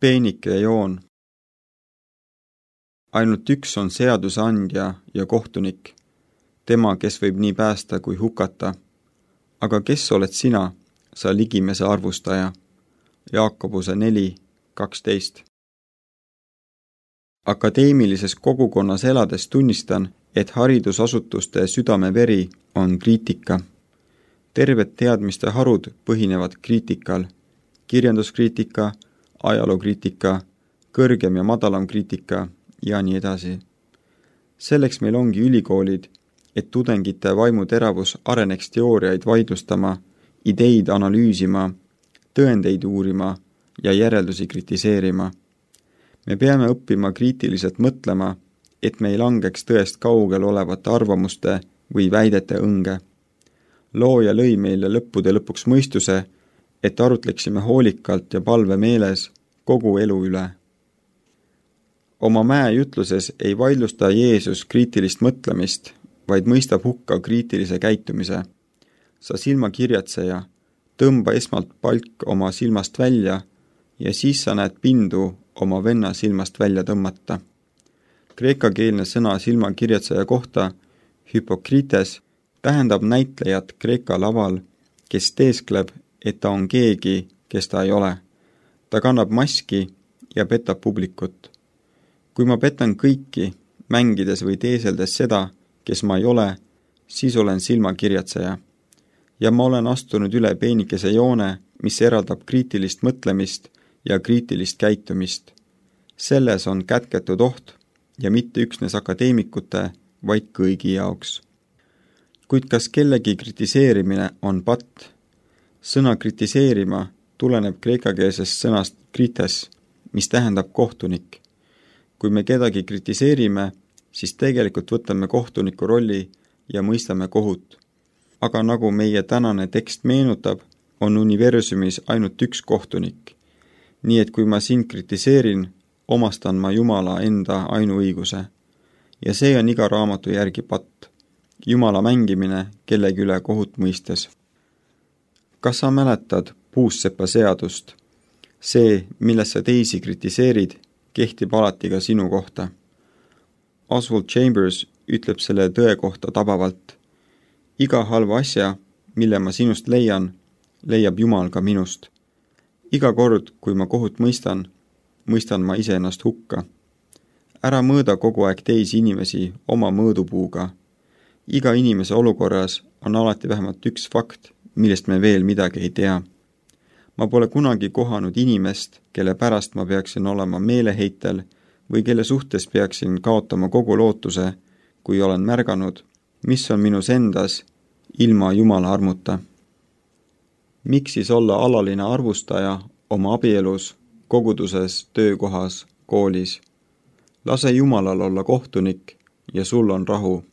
Peenike joon. Ainult üks on seadusandja ja kohtunik, tema, kes võib nii päästa kui hukata. Aga kes oled sina, sa ligimese arvustaja? Jaakobuse 4:12. Akadeemilises kogukonnas elades tunnistan, et haridusasutuste südameveri on kriitika. Terved teadmiste harud põhinevad kriitikal. Kirjanduskriitika, ajalookriitika, kõrgem ja madalam kriitika ja nii edasi. Selleks meil ongi ülikoolid, et tudengite vaimuteravus areneks teooriaid vaidlustama, ideid analüüsima, tõendeid uurima ja järeldusi kritiseerima. Me peame õppima kriitiliselt mõtlema, et me ei langeks tõest kaugel olevate arvamuste või väidete õnge. Looja lõi meile lõppude lõpuks mõistuse, et arutleksime hoolikalt ja palve meeles kogu elu üle. Oma mäejutluses ei vaidlusta Jeesus kriitilist mõtlemist, vaid mõistab hukka kriitilise käitumise. Sa silmakirjatseja, tõmba esmalt palk oma silmast välja ja siis sa näed pindu oma venna silmast välja tõmmata. Kreekakeelne sõna silmakirjatseja kohta, hypokrites, tähendab näitlejat Kreeka laval, kes teeskleb, et ta on keegi, kes ta ei ole. Ta kannab maski ja petab publikut. Kui ma petan kõiki, mängides või teeseldes seda, kes ma ei ole, siis olen silmakirjatseja. Ja ma olen astunud üle peenikese joone, mis eraldab kriitilist mõtlemist ja kriitilist käitumist. Selles on kätketud oht ja mitte üksnes akadeemikute, vaid kõigi jaoks. Kuid kas kellegi kritiseerimine on patt? Sõna kritiseerima tuleneb kreekakeelsest sõnast krites, mis tähendab kohtunik. Kui me kedagi kritiseerime, siis tegelikult võtame kohtuniku rolli ja mõistame kohut. Aga nagu meie tänane tekst meenutab, on universumis ainult üks kohtunik. Nii et kui ma sind kritiseerin, omastan ma Jumala enda ainuõiguse. Ja see on iga raamatu järgi patt. Jumala mängimine kellegi üle kohut mõistes. Kas sa mäletad puussepa seadust? See, milles sa teisi kritiseerid, kehtib alati ka sinu kohta. Oswald Chambers ütleb selle tõe kohta tabavalt. Iga halva asja, mille ma sinust leian, leiab Jumal ka minust. Iga kord, kui ma kohut mõistan ma iseennast hukka. Ära mõõda kogu aeg teisi inimesi oma mõõdupuuga. Iga inimese olukorras on alati vähemalt üks fakt, millest me veel midagi ei tea. Ma pole kunagi kohanud inimest, kelle pärast ma peaksin olema meeleheitel või kelle suhtes peaksin kaotama kogu lootuse, kui olen märganud, mis on minus endas ilma Jumala armuta. Miks siis olla alaline arvustaja oma abielus, koguduses, töökohas, koolis? Lase Jumalal olla kohtunik ja sul on rahu.